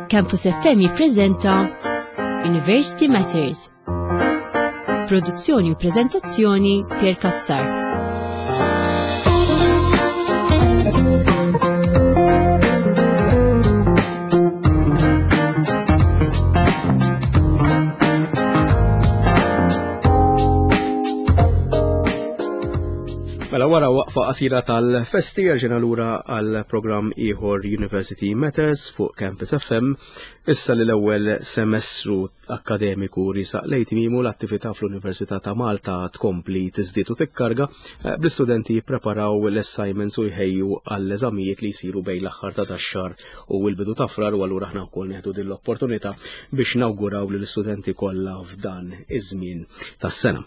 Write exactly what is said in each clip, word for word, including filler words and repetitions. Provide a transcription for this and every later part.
Campus F M jippreżenta University Matters. Produzzjoni u preżentazzjoni, Pier Cassar. Mela, wara waqfa qasira tal-festi rġajna lura għal programm ieħor, University Matters fuq Campus F M. Issa li l-ewwel semestru akkademiku risaq lejn tmiemu, l-attività fl-Università ta' Malta tkompli tiżdied u tikkarga eh, bl-istudenti jippreparaw l-assignments u jħejju għall-eżamijiet li jsiru bejn l-aħħar ta' dax-xahar u l-bidu ta' Frar, u allura aħna wkoll neħdu din l-opportunità biex nawguraw lill-istudenti kollha f'dan iż-żmien tas-sena.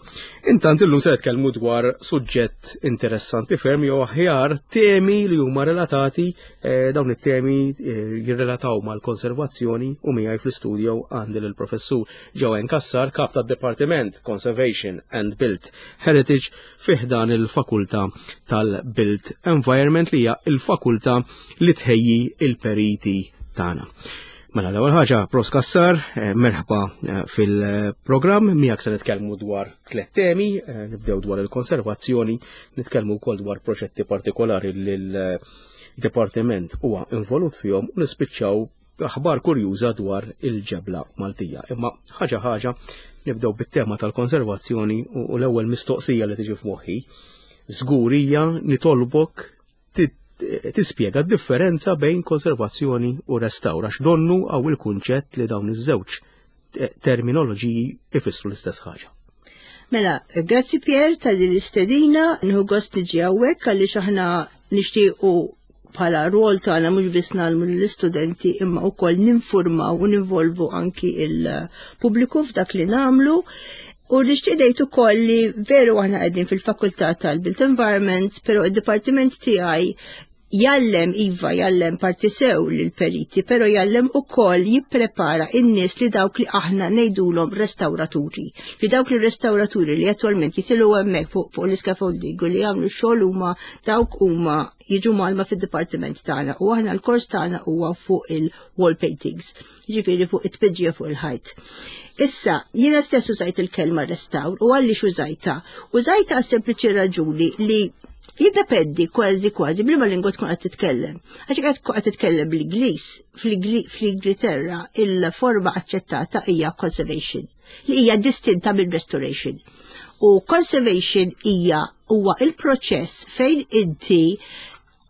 Intant, illum se nitkellmu dwar suġġett interessanti ferm, jew aħjar temi li huma relatati, eh, dawn it-temi eh, jirrelataw mal-konservazzjoni, u miegħi fl-istudio għandi lill-professur Joanne Cassar, kap tad-Departiment Conservation and Built Heritage fi ħdan il-Fakultà tal-Built Environment, li hija il-fakultà li tħejji il-periti tagħna. Mela, l-ewwel ħaġa, Profs Cassar, eh, merħba eh, fil-programm. Miegħek se nitkellmu dwar tliet temi, eh, nibdew dwar il-konservazzjoni, nitkellmu wkoll dwar proġetti partikolari li l-dipartiment huwa involut fihom u nispiċċaw aħbar kurjuża dwar il-ġebla Maltija. Imma ħaġa ħaġa, nibdew bit-tema tal-konservazzjoni, u l-ewwel mistoqsija li tiġi f'moħħi żgur hija nitolbok tispjega d-differenza bejn konservazzjoni u restawr, għax donnu hawn il-kunċett li dawn iż-żewġ terminoloġiji ifissru l-istess ħaġa. Mela, grazzi Pier ta' din l-istedina, nieħu gost niġi hawnhekk għaliex aħna nixtiequ bħala rwol tagħna mhux biss ngħallmu lill-istudenti imma wkoll ninfurmaw u ninvolvu anki il-pubbliku f'dak li nagħmlu. U nixtieq ngħid ukoll li veru aħna qegħdin fil-fakultà tal-Built Environment, però id-dipartiment tiegħi jgħallem, iva, jgħallem parti sew lill-periti, però jgħallem ukoll jipprepara in-nies li dawk li aħna ngħidulhom restauraturi. Fi dawk li restauraturi li attualment jitilgħu hemmhekk fuq fu l-scaffolding u li jagħmlu xogħol huma dawk huma jiġu mgħallma fid-dipartiment tagħna, u aħna l-kors tagħna huwa fuq il-wall paintings, jiġifieri fuq it-tpiġġija fuq il-ħajt. Issa, jiena stess użajt il-kelma restawr, u għaliex użajtha? Użajtha għas sempliċi raġuni li jiddependi kważi kważi b'liema lingwa tkun qed titkellem. Għax qed tkun qed titkellem bl-Ingliż, fl-Ingilterra il-forma aċċettata hija conservation, li hija distinta minn restoration. U conservation hija huwa il-proċess fejn inti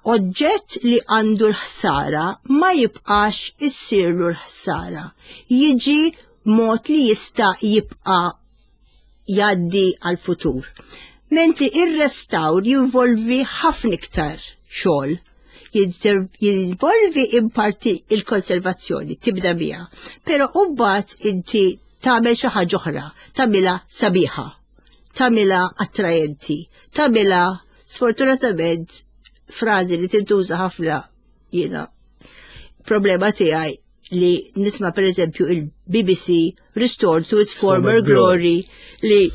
oġġett li għandu l-ħsara ma jibqax issirlu l-ħsara. Jiġi mod li jista' jibqa' jgħaddi għal-futur. Mentri ir-restawr jinvolvi ħafna iktar xogħol. Jinvolvi in parti il-konservazzjoni, tibda biha. Però mbagħad inti tagħmel xi ħaġa oħra, tagħmilha sabiħa, tagħmilha attrajenti, tagħmilha, sfortunatament, frażi li tintuża ħafna, jiena problema tiegħi li nisma' per eżempju il-B B C "restored to its former glory", li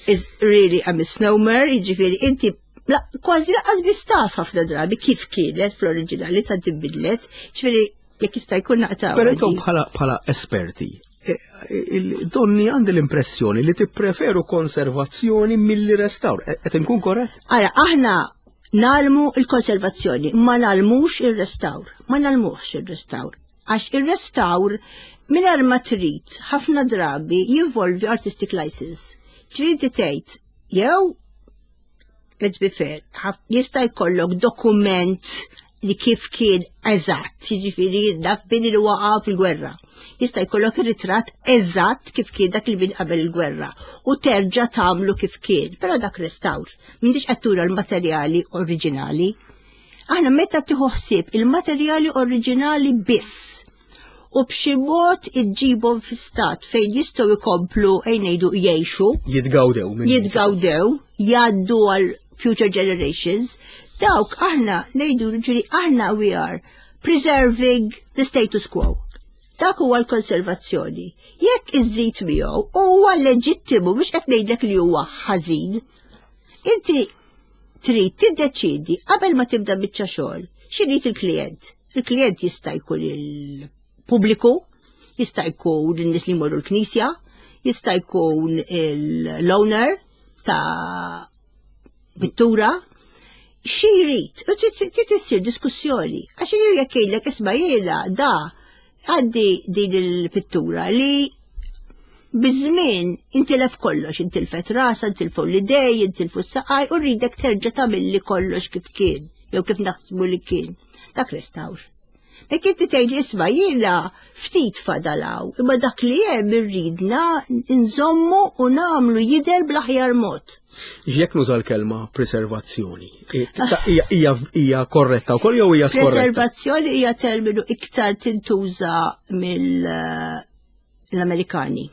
is really a misnomer, jiġifieri inti la, kważi lanqas biss taf ħafna drabi kif kienet fl-oriġinali, ta' tibidlet, jiġifieri jekk jista' jkun naqta' Però intom bħala bħala esperti, e, donni għandi l-impressjoni li tippreferu konservazzjoni milli restawr. E, qed inkun korrett? Ara, aħna ngħallmu il-konservazzjoni, ma ngħallmux il-restawr. Ma ngħallmux il-restawr. Għax il-restawr, mingħajr ma trid, ħafna drabi jinvolvi artistic license. Trid tgħid jew, let's be fair, jista' jkollok dokument li kif kien eżatt, jiġifieri naf bini li waqa' fil-gwerra. Jista' jkollok ir-ritratt eżatt kif kien dak li bini qabel il-gwerra u terġa' tagħmlu kif kien, però dak restawr. M'intix qed tura l-materjali oriġinali. Aħna meta tieħu ħsieb il-materjali oriġinali biss u b'xi mod iġġibhom fi stat fejn jistgħu jkomplu, ejja ngħidu, jgħixu. Jitgawdew. Jitgawdew, jgħaddu għal future generations, dawk aħna ngħidu, ġifieri aħna we are preserving the status quo. Dak huwa l-konservazzjoni. Jekk iżżid miegħu, huwa leġittimu, mhux qed ngħidlek li huwa ħażin. Inti trid tiddeċidi qabel ma tibda biċċa xogħol x'irid il-klient. Il-klient jista' jkun il pubbliku, jista' jkun in-nies li jmorru l-knisja, jista' jkun l-owner ta' pittura, xi jrid, u trid issir diskussjoni. Għax jekk jgħidlek, "Isma', jiena da għandi din il-pittura li biż-żmien intilef kollox, intilfet rasa, intilfu l-idej, intilfu s-saqaj, u rridek terġa' tagħmilli kollox kif kien, jew kif naħsbu li kien." Dak restawr. Jekk inti tgħid, "Isma', jiena ftit fadalaw, imma dak li hemm irridna nżommu u nagħmlu jidher bl-aħjar mod." Jekk nuża l-kelma preservazzjoni, hija korretta wkoll jew hija skorretta? Preservazzjoni hija terminu iktar tintuża mill-Amerikani.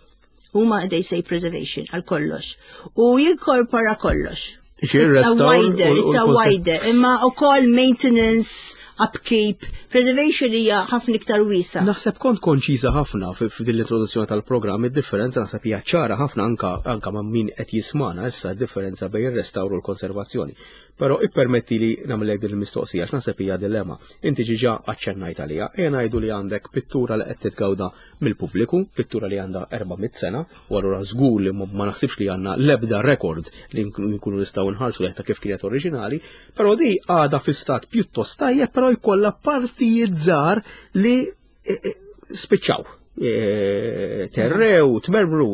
Huma, they say preservation għal kollox. U jinkorpora kollox. It's a wider, it's a wider. Imma ukoll maintenance, upkeep, preservation hija ħafna iktar wiesa. Naħseb kont konċiża ħafna f'din l-introduzzjoni tal-programm, id-differenza naħseb hija ċara ħafna anka anka ma' min qed jismana issa, d-differenza bejn ir-restawr u l-konservazzjoni. Però ippermetti li nagħmlek din il-mistoqsija għax naħseb hija dilemma. Inti ġiġa aċċennajt għalija, ejja ngħidu li għandek pittura li qed titgawda mill-pubbliku, pittura li għandha erba' mitt sena, u allura żgur li ma naħsibx li għandna l-ebda rekord li nkunu nistgħu nħarsu ta' kif kienet oriġinali, però di għadha fi stat pjuttost tajjeb, però jkollha partijiet żgħar li e, e, spiċċaw. E, terrew, tmermru,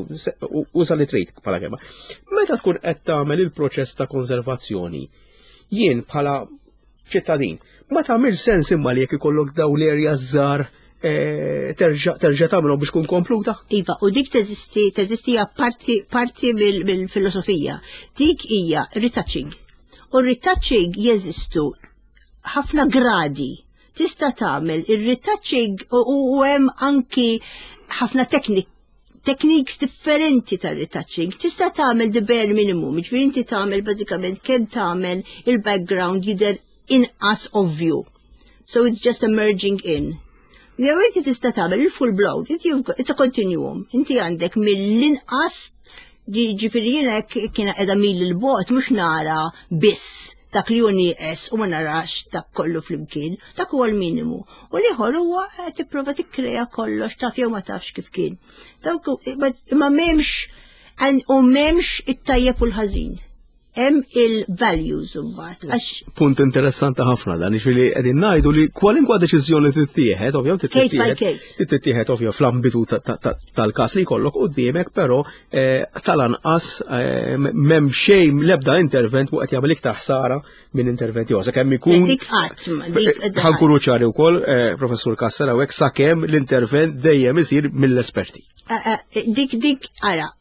uża li trid bħala kelma. Meta tkun qed tagħmel il-proċess ta' konservazzjoni, jien bħala ċittadin, ma tagħmel sens imma li jekk ikollok daw l-area żgħar eh, terġa' terġa' tagħmilhom biex tkun kompluta? Iva, u dik teżisti, teżisti hija parti, parti mill-filosofija. Dik hija retouching. U retouching jeżistu ħafna gradi. Tista' tagħmel ir-retouching u u hemm anki ħafna teknik techniques differenti ta' retouching. Tista' tagħmel the bare minimum, jiġifieri inti tagħmel bażikament kemm tagħmel il-background jidher inqas ovvju. So it's just a merging in. Jew inti tista' tagħmel il-full blown, inti you've got- it's a continuum. Inti għandek mill-inqas, ġifieri jiena jekk kiena qiegħda mil il-bogħod mhux nara biss dak li hu nieqes u ma narax dak kollu flimkien, dak huwa l-minimu. U l-ieħor huwa qed tipprova tikkrea kollox, taf jew ma tafx kif kien. Dawk hu- imma m'hemmx u m'hemmx it-tajjeb u l-ħażin. Hemm il-values imbagħad. Għax Punt interessanti ħafna dan, ġifieri qegħdin ngħidu li kwalinkwa deċiżjoni tittieħed, ovvjament Case by tittieħed case. tittieħed ovvja fl-ambitu ta- ta- ta- tal-każ li jkollok quddiemek, però eh, tal-anqas eh, m'hemm xejn, l-ebda intervent mu qed jagħmel iktar ħsara minn intervent ieħor. Sakemm ikun Dik qatt ma dik Ħa nkunu ċari wkoll, eh, Professur Cassar, hawnhekk, sakemm l-intervent dejjem isir mill-esperti. Eh, eh, dik dik ara,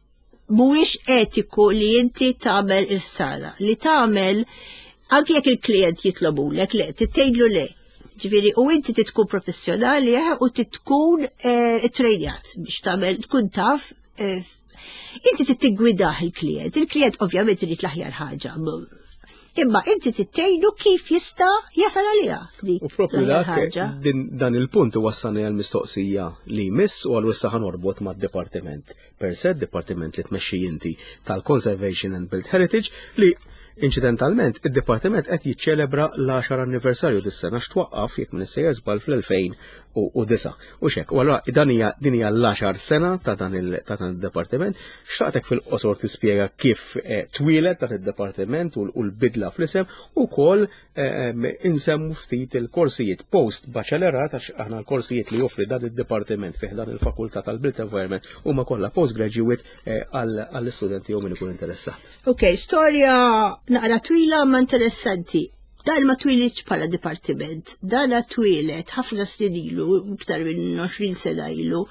mhuwiex etiku li inti tagħmel il-ħsara, li tagħmel anke jekk il-klient jitlobulek, le, tgħidlu le. Ġifieri, u inti titkun professjonali eh, u titkun eh, trejnjat biex tagħmel, tkun taf eh, inti tittigwidah il-klient. Il-klient ovvjament irid l-aħjar ħaġa. Imma inti tittejnu kif jista' jasal għaliha dik U propju l-aħjar dak ħaġa. din, dan il-punt wassalni għal mistoqsija li jmiss, u għal issa ħa norbot mad-dipartiment per se, dipartiment li tmexxi inti tal-Conservation and Built Heritage, li inċidentalment id-dipartiment qed jiċċelebra l-għaxar anniversarju dis-sena, x'twaqqaf, jekk minn sejjer żball, fl-elfejn u disgħa. U xek, u allura dan hija din hija l-għaxar sena ta' dan il ta' dan id-dipartiment. Xtaqtek fil-qosor tispjega kif eh, twieled dan id-dipartiment u l-bidla fl-isem u wkoll eh, insemmu ftit il-korsijiet post baċellerat, għax aħna l-korsijiet li joffri dan id-dipartiment fih dan il-fakultà tal-Built Environment huma kollha postgraduate eh, għall-istudenti jew min ikun interessat. Ok, storja naqra twila ma interessanti. Dan ma twilitx bħala dipartiment, dan twieled ħafna snin ilu, iktar minn għoxrin sena ilu,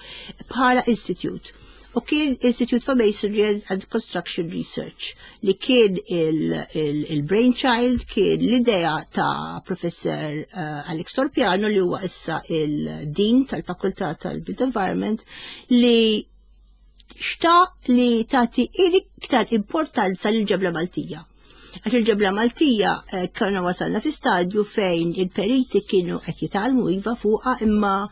bħala institute. U kien Institute for Masonry and Construction Research li kien il-brainchild, kien l-idea ta' Professor uh, Alex Torpiano, li huwa issa il-Dean tal-Fakultà tal-Built Environment, li xtaq li tagħti iktar importanza lil ġebla Maltija. Għax il-ġebla Maltija eh, konna wasalna fi stadju fejn il-periti kienu qed jitgħallmu iva fuqha, imma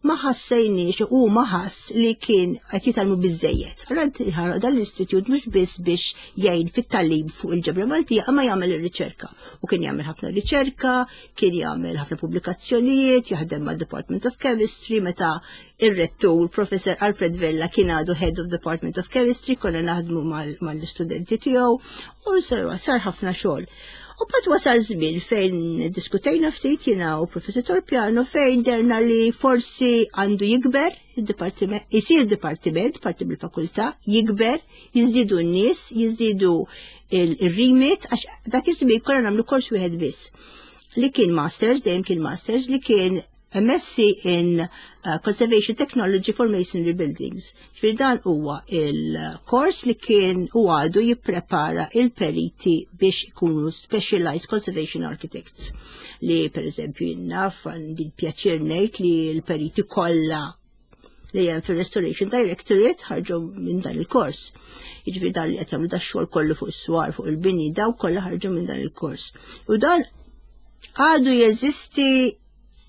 Ma ħassejniex u ma ħass li kien qed jitgħallmu biżejjed. Allura dan l-istitut mhux biss biex jgħin fit-tagħlim fuq il-ġebla Maltija, imma jagħmel ir-riċerka. U kien jagħmel ħafna riċerka, kien jagħmel ħafna pubblikazzjonijiet, jaħdem ma' Department of Chemistry, meta ir-rettur Professor Alfred Vella kien għadu Head of Department of Chemistry, konna naħdmu mal-istudenti tiegħu u sar ħafna xogħol. U mbagħad wasal żmien fejn diskutejna ftit jiena u Professor Torpiano, fejn derna li forsi għandu jikber il-dipartiment, jisir dipartiment, parti mill-fakultà, jikber, jiżdiedu n-nies, jiżdiedu il-remit, għax dak iż-żmien konna nagħmlu kors wieħed biss. Li kien masters, dejjem kien masters, li kien M S C in uh, Conservation Technology for Masonry Buildings. Ġifieri dan huwa il-kors li kien u għadu jipprepara il-periti biex ikunu specialized conservation architects. Li per eżempju naf, għandi pjaċir ngħid li l-periti kollha li hemm fil-Restoration Directorate ħarġu minn dan il-kors. Jiġifieri dan li qed jagħmlu da xogħol kollu fuq is-swar, fuq il-bini, daw kollha ħarġu minn dan il-kors. U dan għadu jeżisti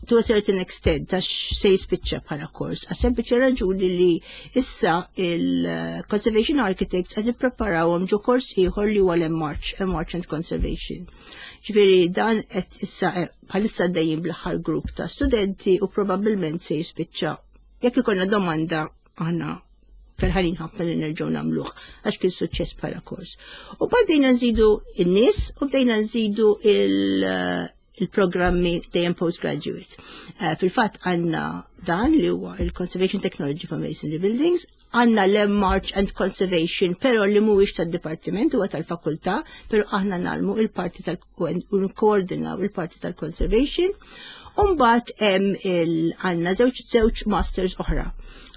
to a certain extent, għax se jispiċċa bħala kors. Għas sempliċi raġuni li issa il-Conservation Architects qed nippreparawhom ġo kors ieħor li huwa l-M Arch, M Arch and Conservation. Ġifieri dan qed issa eh, bħalissa dejjem bl-aħħar grupp ta' studenti u probabbilment se jispiċċa. Jekk ikollna domanda, aħna ferħanin ħafna li nerġgħu nagħmluh għax kien suċċess bħala kors. U bdejna nżidu in-nies u bdejna nżidu il- il-programmi dejjem postgraduate. Uh, Fil-fatt għandna dan li huwa il-Conservation Technology for Masonry Buildings, għandna l-M Arch and Conservation, pero li mhuwiex tad-dipartiment, huwa tal-fakultà, pero aħna ngħallmu il-parti tal-koordinaw il-parti tal-conservation. Umbagħad hemm għandna żewġ żewġ masters oħra.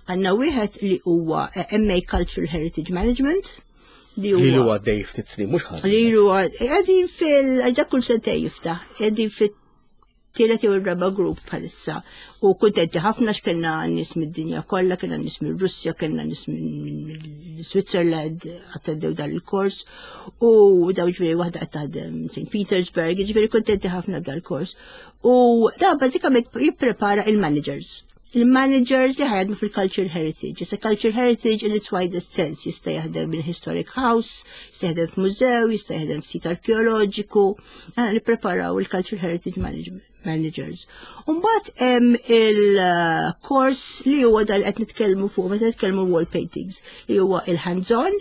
Għandna wieħed li huwa M A Cultural Heritage Management, li huwa għaddej ftit snin, mhux ħażin. Li huwa qegħdin fil ġa kull sentej jiftaħ, qegħdin fit-tielet jew ir-raba' grupp bħalissa. U kuntenti ħafna x'kellna nies mid-dinja kollha, kellna nies minn Russja, kellna nies minn Switzerland attendew dan il-kors. U daw ġifieri waħda qed taħdem Saint Petersburg, ġifieri kuntenti ħafna dal-kors. U da bażikament jipprepara il-managers il-managers li ħa jaħdmu fil-culture heritage. Issa culture heritage in its widest sense jista' jaħdem minn historic house, jista' jaħdem f'mużew, jista' jaħdem f'sit arkeoloġiku. Aħna nippreparaw il-culture heritage management managers. Umbagħad hemm il-kors li huwa dal qed nitkellmu fuq meta nitkellmu wall paintings, li huwa il-hands-on,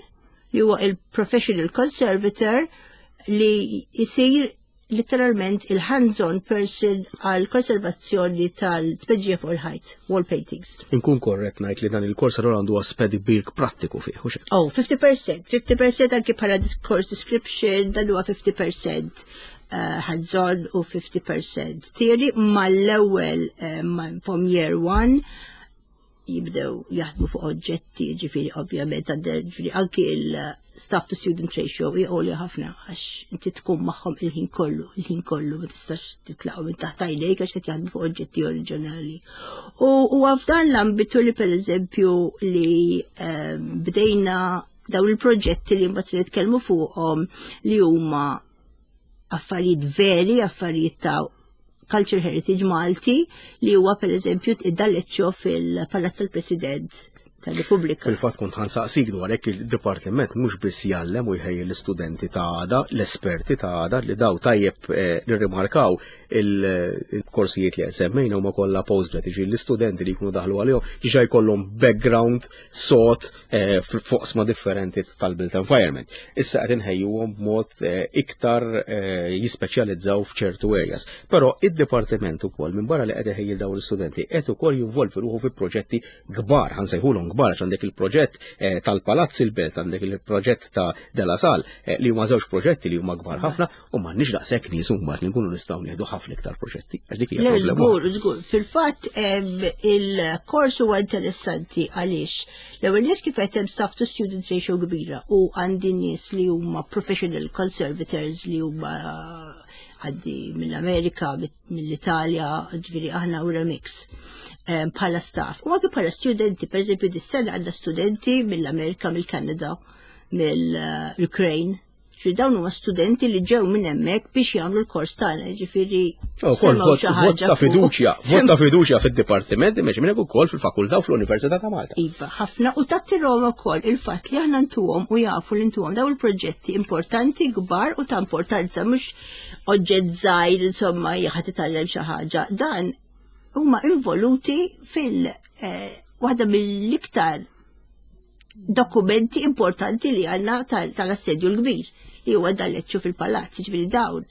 li huwa il-professional conservator li jisir literalment il-hands-on person għal konservazzjoni tal-tpeġġija fuq il-ħajt, wall paintings. Inkun korrett ngħid li dan il-kors allura għandu aspett kbir prattiku fih, hux? Oh, fifty percent, fifty percent anki bħala course description, dan huwa fifty percent uh, hands-on u fifty percent theory. Mal-ewwel uh, from year one jibdew jaħdmu fuq oġġetti, ġifieri ovvjament għander, ġifieri anki il-staff to student ratio għolja ħafna għax inti tkun magħhom il-ħin kollu, il-ħin kollu, ma tistax titlaqgħu minn taħt għajnejk għax qed jaħdmu fuq oġġetti oriġinali. U u f'dan l-ambitu li per eżempju li ehm, bdejna dawn il-proġetti li mbagħad se nitkellmu fuqhom, li huma affarijiet veri, affarijiet ta' culture heritage Malti, li huwa per eżempju id-D'Aleccio fil-Palazz tal-President tal-Repubblika. Fil-fatt kont ħa nsaqsik dwar hekk. Il-dipartiment mhux biss jgħallem u jħejji l-istudenti ta' għada, l-esperti ta' għada, li daw tajjeb eh, nirrimarkaw il-korsijiet li semmejna huma kollha postgrad, jiġifieri l-istudenti li jkunu daħlu għalihom diġà jkollhom background sod eh, f'oqsma differenti tal-built environment. Issa qed inħejjuhom b'mod eh, iktar jispeċjalizzaw f'ċertu areas. Però id-dipartiment ukoll, minn barra li qed iħejji dawn l-istudenti, qed ukoll jinvolvi ruħu fi proġetti kbar, ħa nsejħulhom kbar, għax għandek il-proġett eh, tal-Palazz il-Belt, għandek il-proġett ta' De La Salle, eh, li huma żewġ proġetti li huma kbar ħafna u m'għandniex daqshekk nies mbagħad li nkunu nistgħu nieħdu ħafna iktar proġetti. Għax dik hija Le, problema. Żgur, żgur. Fil-fatt il-kors huwa interessanti għaliex l-ewwel nies kif qed hemm staff to student ratio kbira u għandi nies li huma professional conservators li huma għaddi mill-Amerika, mill-Italja, ġifieri aħna u mix bħala staff. U anke bħala studenti, per eżempju, dis-sena għandna studenti mill-Amerika, mill-Kanada, mill-Ukraine, Ġifieri dawn huma studenti li ġew minn hemmhekk biex jagħmlu l-kors tagħna, ġifieri oh, vot ta' fiduċja, vot ta' fiduċja fid-dipartiment imexi minn ukoll fil-fakultà u fl-Università ta' Malta. Iva, ħafna u tattirhom ukoll il-fatt li aħna ntuhom u jafu li ntuhom dawn il-proġetti importanti kbar u ta' importanza, mhux oġġett żgħir, insomma, ħa titgħallem xi ħaġa. Dan huma involuti fil eh, waħda mill-iktar dokumenti importanti li għandna tal-Assedju l-Kbir, li huwa dal-Leċċu fil-palazz. Ġifieri dawn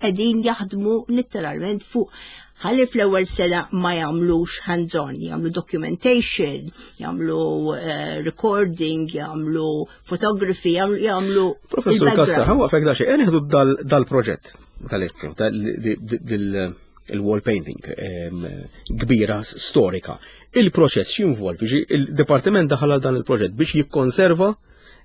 qegħdin jaħdmu literalment fuq, ħalli fl-ewwel sena ma jagħmlux hands-on, jagħmlu documentation, jagħmlu uh, recording, jagħmlu photography, jagħmlu Professur Cassar, ħa nwaqqfek daqsxejn, nieħdu dal-proġett tal-Leċċu, il-wall painting kbira storika. Il-proċess x'jinvolvi? Il-dipartiment daħal għal dan il-proġett biex jikkonserva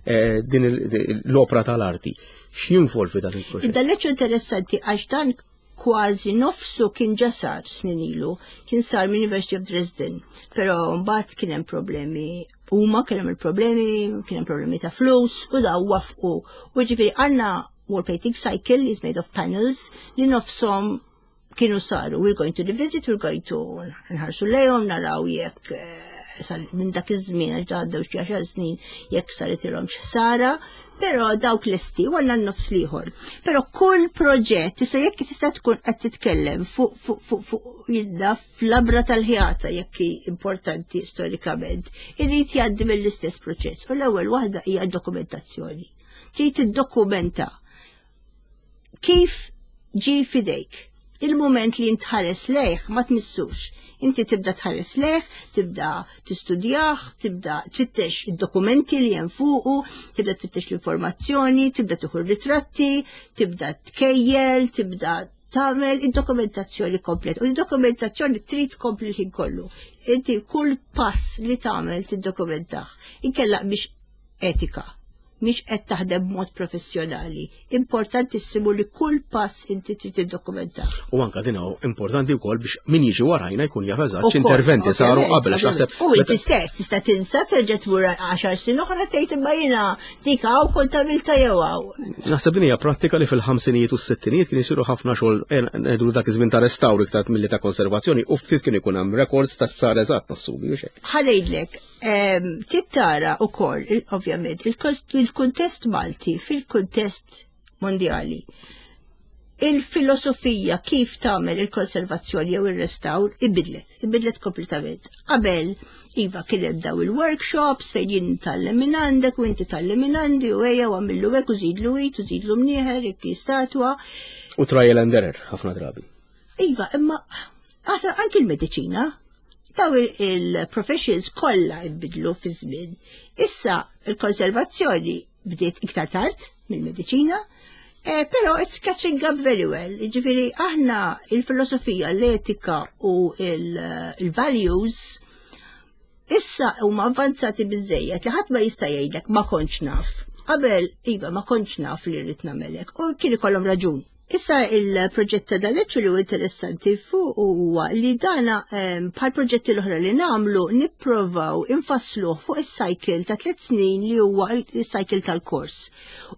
eh, din l-opra tal-arti. X'jinvolvi dan il-proġett? Dal-Leċċu interessanti għax dan kważi nofsu kien ġa sar snin ilu, kien sar minn University of Dresden, pero mbagħad kien hemm problemi, huma kien hemm il-problemi, kien hemm problemi ta' flus u daw waqfu. U ġifieri għandna wall painting cycle is made of panels li nofshom kienu saru. We're going to revisit, we're going to nħarsu lejhom, naraw jekk eh, sar minn dak iż-żmien, għax għaddew xi għaxar snin, jekk saritilhom xi, però dawk lesti u għandna n-nofs l-ieħor. Però kull proġett, tista' jekk tista' tkun qed titkellem fuq fuq fuq fuq jidda fl-labra tal-ħjata, jekk hi importanti storikament, irid jgħaddi mill-istess proċess. U l-ewwel waħda hija dokumentazzjoni. Trid tiddokumenta kif ġi fidejk. Il-moment li intħares lejh ma tmissux. Inti tibda tħares lejh, tibda tistudjah, tibda tfittex id-dokumenti li hemm fuqu, tibda tfittex l-informazzjoni, tibda tieħu ritratti, tibda tkejjel, tibda tagħmel id-dokumentazzjoni komplet. U id-dokumentazzjoni trid tkompli l-ħin kollu. Inti kull pass li tagħmel tiddokumentah. Inkella biex etika, mhix qed taħdem b'mod professjonali. Importantissimu li kull pass inti trid tiddokumentah. U anka din hawn importanti wkoll biex min jiġi warajna jkun jaf eżatt x'interventi saru qabel, għax naħseb U inti stess tista' tinsa, terġa' tmur għaxar snin oħra, tgħid imma jiena dik hawn kont għamilta jew hawn. Naħseb din hija prattika li fil-ħamsinijiet u s-sittinijiet kien isiru ħafna xogħol, eh, ngħidu dak iż-żmien ta' restawr iktar milli ta' konservazzjoni, u ftit kien ikun hemm records ta' sar eżatt, nassumi, u hekk. Ħa ngħidlek, em, tittara ukoll, il- ovvjament, il-kuntest Malti fil-kuntest mondjali. Il-filosofija kif tagħmel il-konservazzjoni jew ir-restawr ibidlet, ibidlet kompletament. Qabel, iva, kien hemm daw il-workshops fejn jien nitgħallem minn għandek u inti tgħallem minn għandi u ejja u għamillu hekk u żidlu id u żidlu mnieħer jekk hi statwa. U trial and error ħafna drabi. Iva, imma għasa anki l-mediċina, daw il-professions kollha jbidlu fi żmien. Issa il-konservazzjoni bdiet iktar tard mill-mediċina, eh, però it's catching up very well. Ġifieri aħna il-filosofija, l-etika u il-values issa huma avvanzati biżejjed li ħadd ma jista' jgħidlek "ma kontx naf". Qabel, iva, "ma kontx naf li rrid nagħmel hekk" u kien ikollhom raġun. Issa il-proġett ta' dal-Leċċu li huwa interessanti fuq huwa li dana, em, bħal proġetti l-oħra li nagħmlu, nipprovaw infassluh fuq is-cycle ta' tliet snin li huwa il-cycle tal-kors.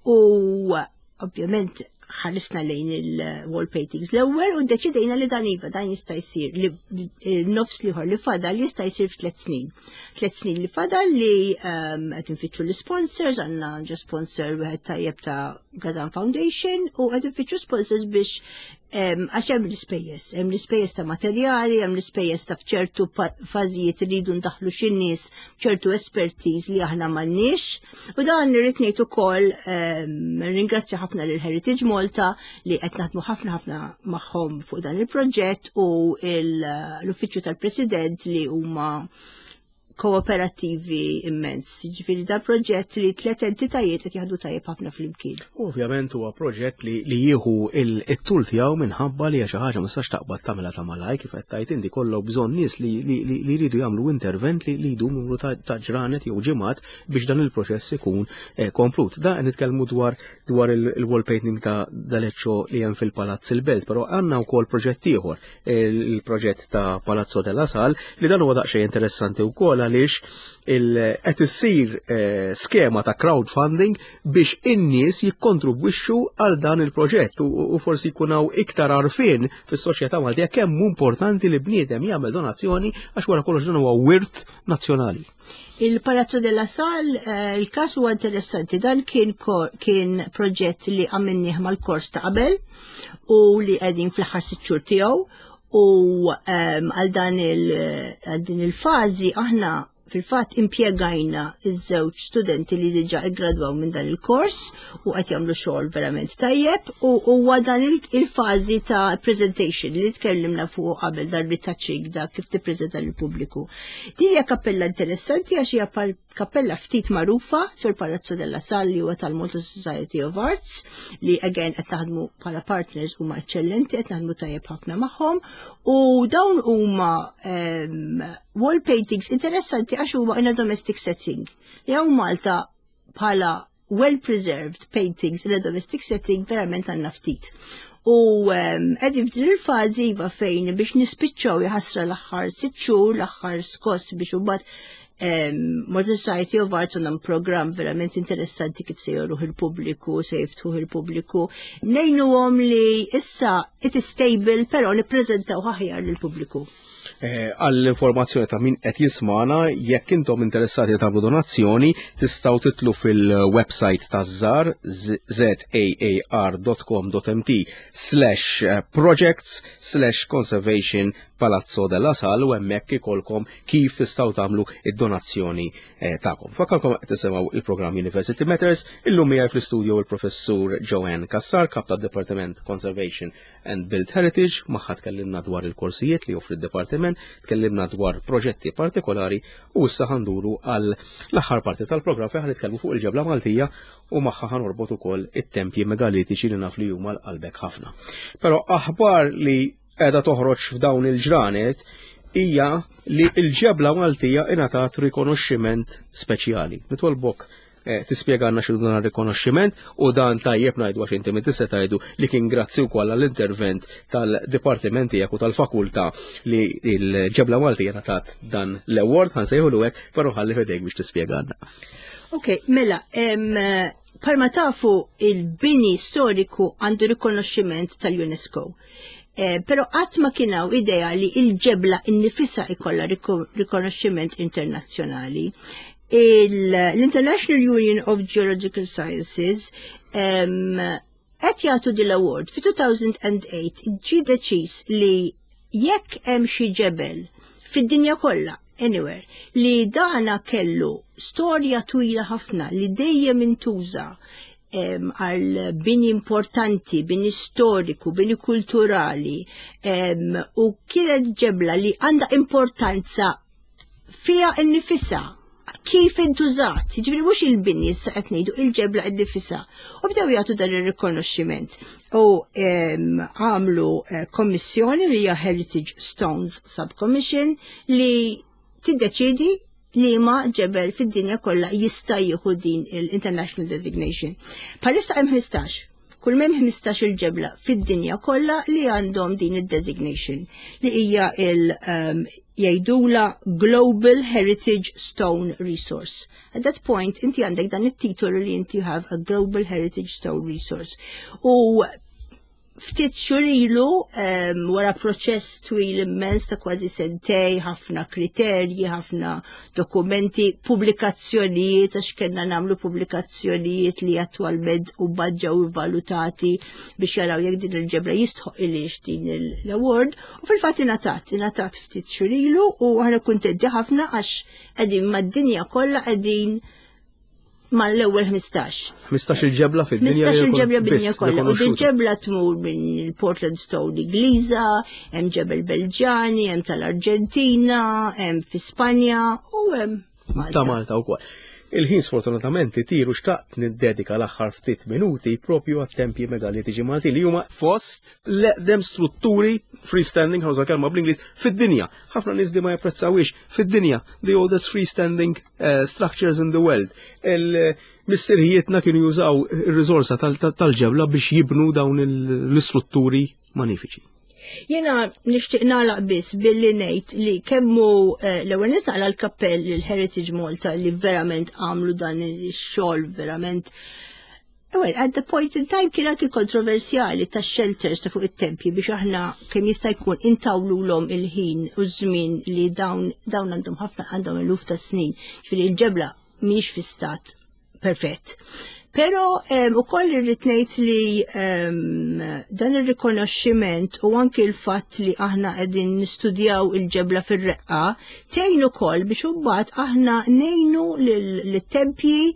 U ovvjament ħarisna lejn il-wall paintings l-ewwel u deċidejna li dan, iva, dan jista' jsir, li nofs l-ieħor li fadal jista' jsir f'tliet snin. Tliet snin li fadal li um, qed infittxu l-sponsors, għandna ġa sponsor wieħed tajjeb ta' Gazan Foundation u qed infittxu sponsors biex em, għax hemm l-ispejjeż, hemm l-ispejjeż ta' materjali, hemm l-ispejjeż ta' f'ċertu pa- fażijiet iridu ndaħlu xi nies, ċertu expertise li aħna m'għandniex. U dan irrid ngħid ukoll, em, ringrazzja ħafna lil Heritage Malta li qed naħdmu ħafna ħafna magħhom fuq dan il-proġett u il- l-Uffiċċju tal-President li huma kooperattivi immens. Ġifieri da proġett li tliet entitajiet qed jaħdu tajjeb ħafna flimkien. Ovvjament huwa proġett li, li jieħu il-tul tiegħu minħabba li xi ħaġa ma tistax taqbad tagħmilha ta' malaj, kif qed tgħid inti, kollok bżonn nies li, li, li, li jridu jagħmlu intervent li, li jdum numru ta', ta' ġranet jew ġimgħat biex dan il-proċess ikun eh, komplut. Da nitkellmu dwar dwar il-wall painting ta' Da Leccio li hemm fil-Palazz il-Belt, però għandna wkoll proġett ieħor, il-proġett ta' Palazzo della Sal, li dan huwa daqsxejn interessanti wkoll. għaliex qed issir eh, skema ta' crowdfunding biex in-nies jikkontribwixxu għal dan il-proġett u forsi jkun hawn iktar għarfien fis-soċjetà Maltija kemm importanti li bniedem jagħmel donazzjoni, għax wara kollox dan huwa wirt nazzjonali. Il-Palazzo della Sal, eh, il-kas huwa interessanti, dan kien, kien proġett li għamilnieh mal-kors ta' qabel u li qegħdin fl-aħħar sitt xhur tiegħu u ehm, għal dan il- din il-fażi aħna fil-fatt impjegajna iż-żewġ studenti li diġà iggradwaw minn dan il-kors u qed jagħmlu xogħol verament tajjeb u huwa dan il-fażi ta' presentation li tkellimna fuq qabel, dan retouching, da kif tippreżenta lill-pubbliku. Din hija kappella interessanti għax hija kappella ftit magħrufa fil-Palazzo della Sal li huwa tal-Malta Society of Arts, li again qed naħdmu bħala partners, huma eċċellenti, qed naħdmu tajjeb ħafna magħhom, u dawn huma um, wall paintings interessanti għax huwa in a domestic setting. Li hawn Malta bħala well-preserved paintings in a domestic setting verament għandna ftit. U qegħdin f'din il-fażi, iva, fejn biex nispiċċaw, jaħasra, l-aħħar sitt xhur, l-aħħar skoss biex imbagħad Malta Society of Arts għandhom program verament interessanti kif se joruh il-pubbliku, se jiftħuh il-pubbliku. Ngħinuhom li issa it is stable, però nippreżentaw aħjar lill-pubbliku. Eh, għall-informazzjoni ta' min qed jismana, jekk intom interessati tagħmlu donazzjoni, tistgħu titlu fil-website ta' ZAAR, zaar dot com dot M T slash projects slash conservation Palazzo della Sal u hemmhekk ikolkom kif tistgħu tagħmlu id-donazzjoni eh, tagħkom. Infakkarkom qed tisimgħu il-programm University Matters, illum miegħi fl-istudio il-Professur Joanne Cassar, kap tad-Departiment Conservation and Built Heritage. Magħha tkellimna dwar il-korsijiet li joffri d-Departiment, tkellimna dwar proġetti partikolari u issa ħa nduru għal l-aħħar parti tal-programm fejn nitkellmu fuq il-ġebla Maltija u magħha ħa norbot ukoll it-tempji megalitiċi li naf li huma għal qalbek ħafna. Però aħbar li qiegħda toħroġ f'dawn il-ġranet hija li l-ġebla Maltija ingħatat rikonoxximent speċjali. Nitolbok eh, tispjegana x'inhu dan rikonoxximent u dan tajjeb ngħidu, għax inti tista' tgħidu li kien grazzi wkoll għall-intervent tal-dipartiment tiegħek u tal-fakultà li l-ġebla Maltija ngħatat dan l-award, ħa nsejħulu hekk, però ħalli f'idejk biex tispjegana. Ok, mela, bħalma tafu, il-bini storiku għandu rikonoxximent tal-UNESCO. Eh, pero qatt ma kien hawn idea li il-ġebla innifisha ikolla rikonoxximent internazzjonali. L-International Union of Geological Sciences qed jagħtu din l-award. Fi elfejn u tmienja ġie deċiż li jekk hemm xi ġebel fid-dinja kollha, anywhere, li dana kellu storja twila ħafna li dejjem intuża għal bini importanti, bini storiku, bini kulturali, u kienet ġebla li għandha importanza fija innifisha kif intużat, ġifieri mhux il-bini issa qed ngħidu, il-ġebla innifisha. U bdew jagħtu dan ir-rikonoxximent. U għamlu eh, kommissjoni li hija Heritage Stones Subcommission li tiddeċidi li ma ġebel fid-dinja kollha jista' jieħu din l-International Designation. Bħalissa hemm ħmistax. Kull m'hemm ħmistax il-ġebla fid-dinja kollha li għandhom din id-designation li hija il um, jgħidula Global Heritage Stone Resource. At that point inti għandek dan it-titolu li inti have a Global Heritage Stone Resource. U ftit xhur ilu, um, wara proċess twil immens ta' kważi sentej, ħafna kriterji, ħafna dokumenti, pubblikazzjonijiet, għax kellna nagħmlu pubblikazzjonijiet li attwalment u ġew valutati biex jaraw jekk din il-ġebla jistħoqqilhiex din l-award, u fil-fatt ingħatat, ingħatat ftit xhur ilu u aħna kuntenti ħafna għax qegħdin mad-dinja kollha, qegħdin mal-ewwel ħmistax. ħmistax il-ġebla fid-dinja. ħmistax il-ġebla bid-dinja kollha. U il-ġebla tmur minn il-Portland Stone Ingliża, hemm ġebel Belġani, hemm tal-Arġentina, hemm fi Spanja u hemm Malta. Ta' Malta wkoll. Il-ħin sfortunatament itir u xtaqt niddedika l-aħħar ftit minuti propju għat-tempji megalitiċi Malti li huma fost l-eqdem strutturi freestanding, ħa nuża kelma bl-Ingliż, fid-dinja. Ħafna nies di ma japprezzawix, fid-dinja, the oldest freestanding uh, structures in the world. Il-missirijietna kienu jużaw ir-riżorsa tal-ġebla biex jibnu dawn l-istrutturi magnifiċi. Jiena nixtieq nagħlaq biss billi ngħid li kemm hu eh, l-ewwel nett naqla' l-kappell lil Heritage Malta li verament għamlu dan ix-xogħol verament. Well, at the point in time kien anki kontroversjali ta' shelters ta' fuq it-tempji biex aħna kemm jista' jkun intawlulhom il-ħin u ż-żmien li dawn dawn għandhom ħafna, għandhom eluf ta' snin. Ġifieri il-ġebla mhijiex fi stat perfett. Pero um, ukoll irrid ngħid li um, dan ir-rikonoxximent u anki l-fatt li aħna qegħdin nistudjaw il-ġebla fir-reqqa tgħin ukoll biex imbagħad aħna ngħinu lit-tempji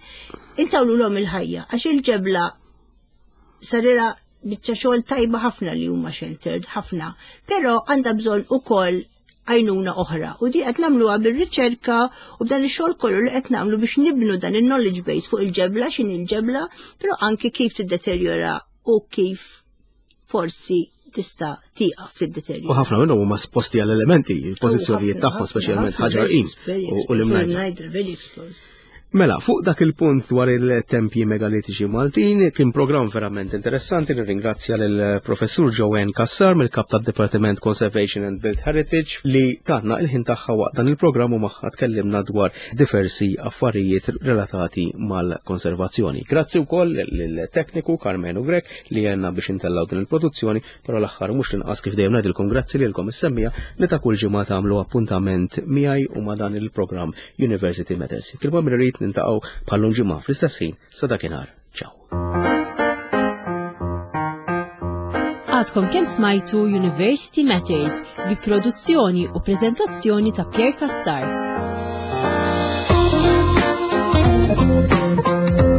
intawlulhom il-ħajja, għax il-ġebla sarilha biċċa xogħol tajba ħafna li huma sheltered ħafna, però għandha bżonn ukoll għajnuna oħra. U di qed nagħmluha bir-riċerka u b'dan ix-xogħol kollu li qed nagħmlu biex nibnu dan il-knowledge base fuq il-ġebla, x'inhi il-ġebla, però anki kif tiddeterjora u kif forsi tista' tieqaf tiddeterjora. U ħafna minnhom huma esposti għall elementi, il-pożizzjonijiet tagħhom, speċjalment Ħaġar Qim u l-Imnajdra. Very exposed. Mela, fuq dak il-punt dwar il-tempji megalitiċi Maltin, kien program verament interessanti. Nirringrazzja lill-professur Joanne Cassar mill-kap tad-Departiment Conservation and Built Heritage li tatna il-ħin tagħha waqt dan il-programm u magħha tkellimna dwar diversi affarijiet relatati mal-konservazzjoni. Grazzi wkoll lill-tekniku Carmenu Grek li għenna biex intellaw din il-produzzjoni, però l-aħħar mhux l-inqas, kif dejjem ngħidilkom, grazzi lilkom is-semmiegħa li ta' kull ġimgħa tagħmlu appuntament miegħi u ma' dan il-programm University Matters. Kilma mirrid niltaqgħu bħal-lum ġimgħa fl-istess ħin. Sa dakinhar. Ciao. Għadkom kemm smajtu University Matters bi produzzjoni u prezentazzjoni ta' Pierre Cassar. Thank you.